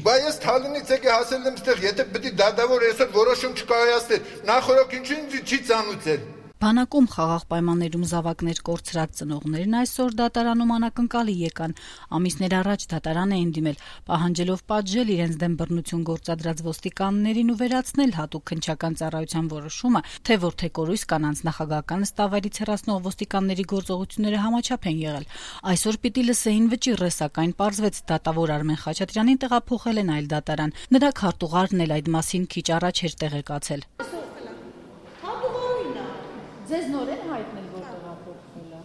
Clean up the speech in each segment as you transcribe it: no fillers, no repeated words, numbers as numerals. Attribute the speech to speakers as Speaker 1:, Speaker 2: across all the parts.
Speaker 1: Բայց Թալինից եկե հասել եմ ստեղ, եթե պետք է դատավոր այսօր որոշում չկայացներ, նախորդ ինչու ինձ չի ծանուցել։
Speaker 2: Բանակում խաղաղ պայմաններում զավակներ կորցրած ծնողներն այսօր դատարանում անակնկալի եկան։ Ամիսներ առաջ դատարան էին դիմել, պահանջելով պատժել իրենց դեմ բռնություն գործադրած ոստիկաններին ու վերացնել հատուկ քննչական ծառայության որոշումը, թե որդեկորույս կանանց նախագահական նստավայրից հեռացնող ոստիկանների գործողությունները համաչափ են եղել։ Այսօր պիտի լսեին վճիռը, սակայն պարզվեց դատավոր Արմեն Խաչատրյանին տեղափոխել են այլ դատարան։ Նրա քարտուղարն էլ այդ մասին քիչ առաջ էր տեղեկացել։
Speaker 3: Ձեզ նոր են հայտնել, որ տեղափոխվել է։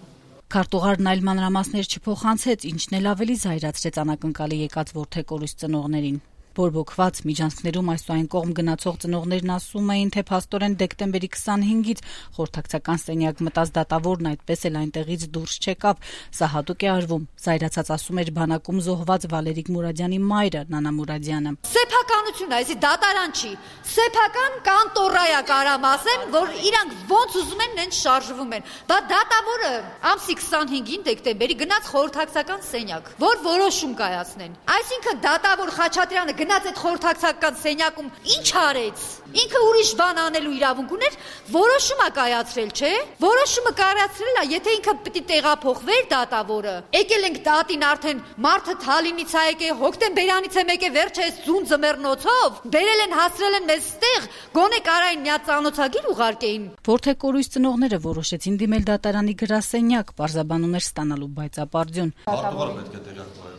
Speaker 2: Քարտուղարն այլ մանրամասներ չփոխանցեց, ինչն էլ ավելի զայրացրեց անակնկալի եկած որդեկորույս ծնողներին։ Բորբոքված միջանցքներում այս ու այն կողմ գնացող ծնողներն ասում էին, թե փաստորեն դեկտեմբերի 25-ից խորհրդակցական սենյակ մտած դատավորն այդպես էլ այնտեղից դուրս չեկավ։ Սա հատուկ է արվում, զայրացած ասում էր բանակում զոհված Վալերիկ Մուրադյանի մայրը Նանա Մուրադյանը։
Speaker 3: Սեփականություն է, այսի դատարան չի։ Սեփական կանտորա է կարամ ասեմ, որ իրանք ոնց ուզում են նենց շարժվում են։ Բա դատավորը ամսի 25-ին դեկտեմբերի գնաց խորհրդակցական սենյակ, որ որոշում կայացնեն։ Այսինքն դատավոր Խաչատրյանը գնաց այդ խորհրդակցական սենյակում ինչ արեց։ Ինքը ուրիշ բան անելու իրավունք ուներ, որոշումը կայացրել, չէ՞։ Որոշումը կայացրել է, եթե ինքը պիտի տեղափոխվեր դատավորը։ Եկել ենք դատին արդեն մարդը Թալինից է եկել, հոկտեմբերանից է եկել, վերջը այս ձուն ձմեռնոցով, բերել են հասցրել են մեզ ստեղ, գոնե կարային միա ծանոթագիր ուղարկեին։
Speaker 2: Որդեկորույս ծնողները որոշեցին դիմել դատարանի գրասենյակ, պարզաբանում էր ստանալու բայցապարդյուն։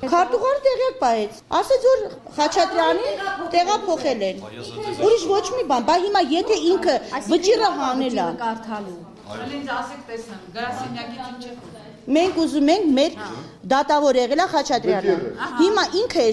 Speaker 4: Քարտուղարը տեղյակ պահեց, ասեց որ Խաչատրյանին տեղափոխել են։ Ուրիշ ոչ մի բան, բա հիմա եթե ինքը վճիռը հանել է,
Speaker 3: Ինձ ասեք տեսնեմ, գրասենյակից ինչ է խոսում։
Speaker 4: մենք ուզում ենք մեր դատավոր եղել է Խաչատրյանը։ Հիմա ինքը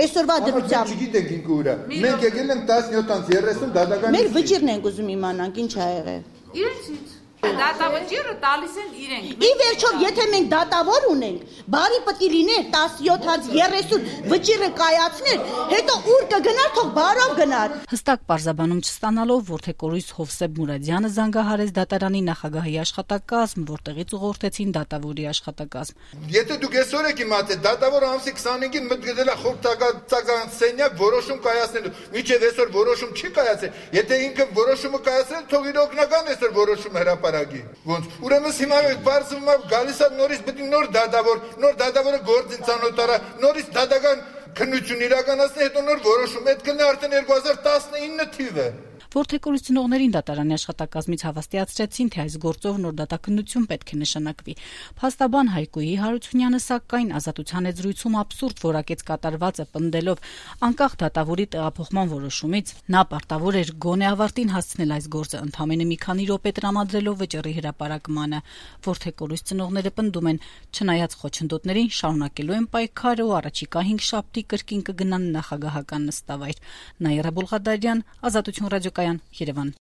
Speaker 4: այսօրվա դրությամբ
Speaker 1: Չգիտենք ինքը ուրա։ Մենք եկել ենք 17:30 դատական։
Speaker 4: մեր վճիռն ենք ուզում իմանանք ինչ ա եղել։
Speaker 3: Իրենցից դատավճիռը տալիս են իրենք։
Speaker 4: Ի վերջո, եթե մենք դատավոր ունենք, բարի պետք է լիներ 17:30 վճիռը կայացներ, հետո ուր կգնար, թող բարով գնար։
Speaker 2: Հստակ պարզաբանում չստանալով որդեկորույս Հովսեփ Մուրադյանը զանգահարեց դատարանի նախագահի աշխատակազմ, որտեղից ուղղորդեցին դատավորի աշխատակազմ։
Speaker 1: Եթե դուք այսօր եք իմացել, դատավորը ամսի 25-ին մտցել է խորհրդակցական սենյակ որոշում կայացնելու, մինչև այսօր որոշում չի կայացել։ Եթե ինքը որոշումը կայացրել, թող իր օգնական այսօր որոշում հրապարակի։ Ոնց։ Ուրեմն հիմա բարձվում է գալիս է նորից պետք է նոր դատավորը գործին ծանոթարա, նորից դատական քննություն իրականացնի, հետո նոր որոշում, այդ կլինի արդեն 2019 թիվը։
Speaker 2: Որդեկորույս ծնողներին դատարանի աշխատակազմից հավաստիացրեցին, թե այս գործով նոր դատաքննություն պետք է նշանակվի։ Փաստաբան Հայկուի Հարությունյանը սակայն ազատության զրույցում աբսուրդ որակեց կատարվածը, պնդելով անկախ դատավորի տեղափոխման որոշումից նա պարտավոր էր գոնե ավարտին հասցնել այս գործը, ընդամենը մի քանի րոպե տրամադրելով վճռի հրապարակմանը։ Որդեկորույս ծնողները պնդում են, չնայած խոչընդոտներին շարունակելու են պայքարը ու առաջիկա 5 շաբթի կրկին կգնան նախագահական նստավայր։ Նաիրա Բուլղադարյան, Ազատություն ռադիոկայան, Երևան։